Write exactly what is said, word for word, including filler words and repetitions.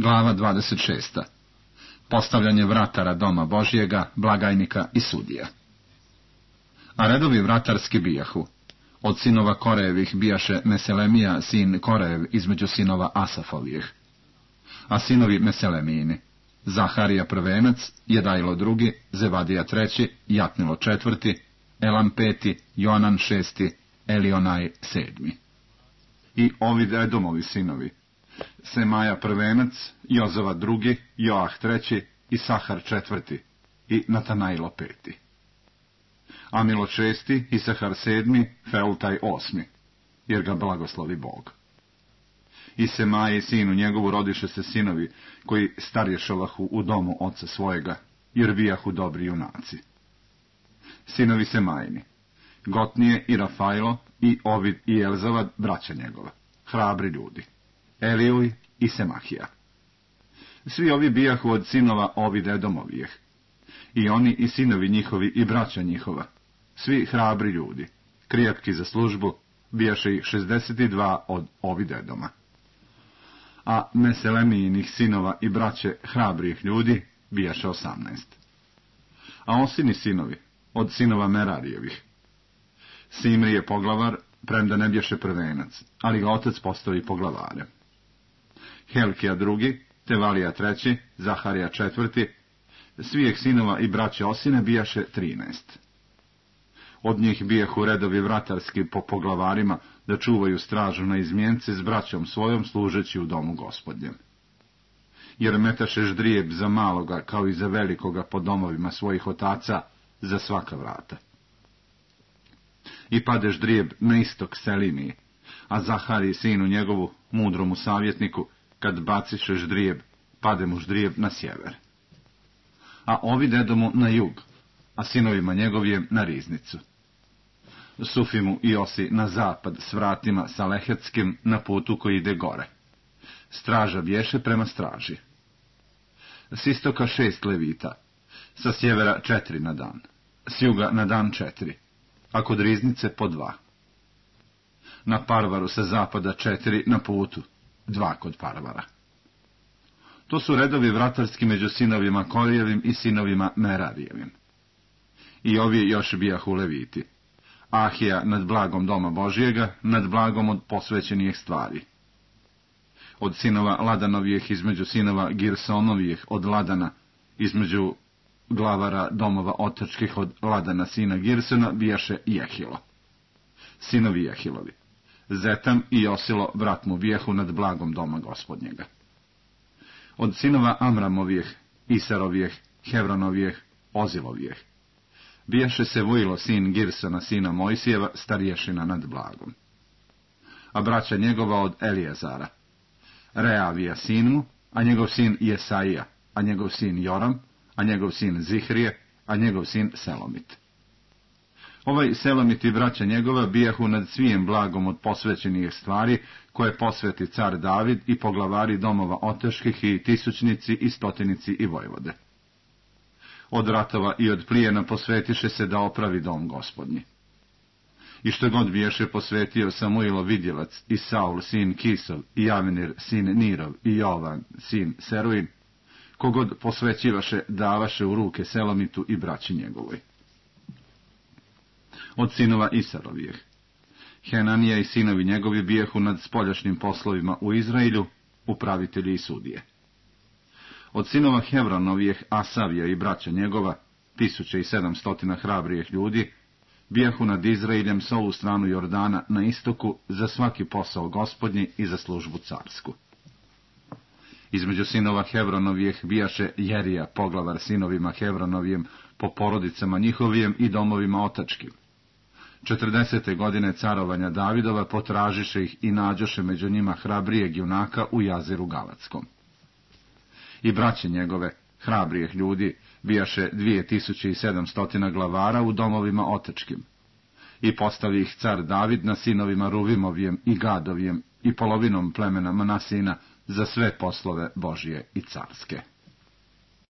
Glava dvadeset šesta. Postavljanje vratara doma Božjega, blagajnika i sudija. A redovi vratarski bijahu. Od sinova Korejevih bijaše Meselemija, sin Korejev, između sinova Asafovijeh. A sinovi Meselemijini: Zaharija prvenac, Jedajlo drugi, Zevadija treći, Jatnilo četvrti, Elam peti, Joanan šesti, Elionaj sedmi. I ovi Edomovi sinovi: Semaja prvenac, Jozava drugi, Joah treći, Isahar četvrti i Natanajlo peti. Amilo šesti, Isahar sedmi, Feultaj osmi, jer ga blagoslovi Bog. I Semaji sinu njegovu rodiše se sinovi, koji starješovahu u domu oca svojega, jer bijahu dobri junaci. Sinovi Semajini: Gotnije i Rafajlo i Ovid i Elzavad, braća njegova, hrabri ljudi, Elijuj i Semahija. Svi ovi bijahu od sinova Ovid Edomovijeh, i oni i sinovi njihovi i braća njihova, svi hrabri ljudi, krijepki za službu, bijaše ih šezdeset dva od Ovid Edoma. A Meselemijinih sinova i braće hrabrijih ljudi bijaše osamnaest. A osini sinovi, od sinova Merarijevih: Simri je poglavar, premda ne bješe prvenac, ali ga otac postavi poglavarem. Helkija drugi, Tevalija treći, Zaharija četvrti, svijeh sinova i braće Osine bijaše trinaest. Od njih bijahu redovi vratarski po poglavarima, da čuvaju stražu na izmjence s braćom svojom, služeći u domu Gospodnjem. Jer metaše ždrijeb za maloga, kao i za velikoga, po domovima svojih otaca, za svaka vrata. I pade ždrijeb na istok Selimiji, a Zahariji sinu njegovu, mudromu savjetniku, kad baciše ždrijeb, pade mu ždrijeb na sjever. A Ovid Edomu na jug, a sinovima njegovim na riznicu. Sufimu i Osi na zapad s vratima sa Lehetskim na putu koji ide gore. Straža bješe prema straži. S istoka šest levita, sa sjevera četiri na dan, s juga na dan četiri, a kod riznice po dva. Na Parvaru sa zapada četiri na putu, dva kod Parvara. To su redovi vratarski među sinovima Korijevim i sinovima Merarijevim. I ovi još bijahu leviti: Ahija nad blagom doma Božjega, nad blagom od posvećenih stvari. Od sinova Ladanovijeh između sinova Girsonovijeh od Ladana, između glavara domova otačkih od Ladana sina Girsona, bijaše Jehilo. Sinovi Jehilovi: Zetam i Josilo, brat mu, bijahu nad blagom doma Gospodnjega. Od sinova Amramovijeh, Isarovijeh, Hevronovijeh, Ozilovijeh bijaše se Vujilo sin Girsona sina Mojsijeva, starješina nad blagom. A braća njegova od Elijezara: Reavija sin mu, a njegov sin Jesaija, a njegov sin Joram, a njegov sin Zihrije, a njegov sin Selomit. Ovaj Selomit i braća njegova bijahu nad svijem blagom od posvećenih stvari, koje posveti car David i poglavari domova otaških i tisućnici i stotinici i vojvode. Od ratova i od plijena posvetiše se da opravi dom Gospodnji. I što god biješe posvetio Samuilo vidjelac, i Saul sin Kisov, i Javenir sin Nirov, i Jovan sin Seruin, kogod posvećivaše, davaše u ruke Selomitu i braći njegovoj. Od sinova Isarovijeh: Henanija i sinovi njegovi bijahu nad spoljašnjim poslovima u Izraelju, upravitelji i sudije. Od sinova Hevronovijeh: Asavija i braća njegova, tisuće i sedamstotina hrabrijih ljudi, bijahu nad Izraeljem s ovu stranu Jordana na istoku, za svaki posao Gospodnji i za službu carsku. Između sinova Hevronovijeh bijaše Jerija, poglavar sinovima Hevronovijem, po porodicama njihovijem i domovima otačkim. Četrdesete godine carovanja Davidova potražiše ih i nađoše među njima hrabrijeg junaka u Jaziru Galatskom. I braće njegove, hrabrijih ljudi, bijaše dvije tisuće i sedamstotina glavara u domovima otačkim. I postavi ih car David na sinovima Ruvimovijem i Gadovijem i polovinom plemena Manasina za sve poslove Božje i carske.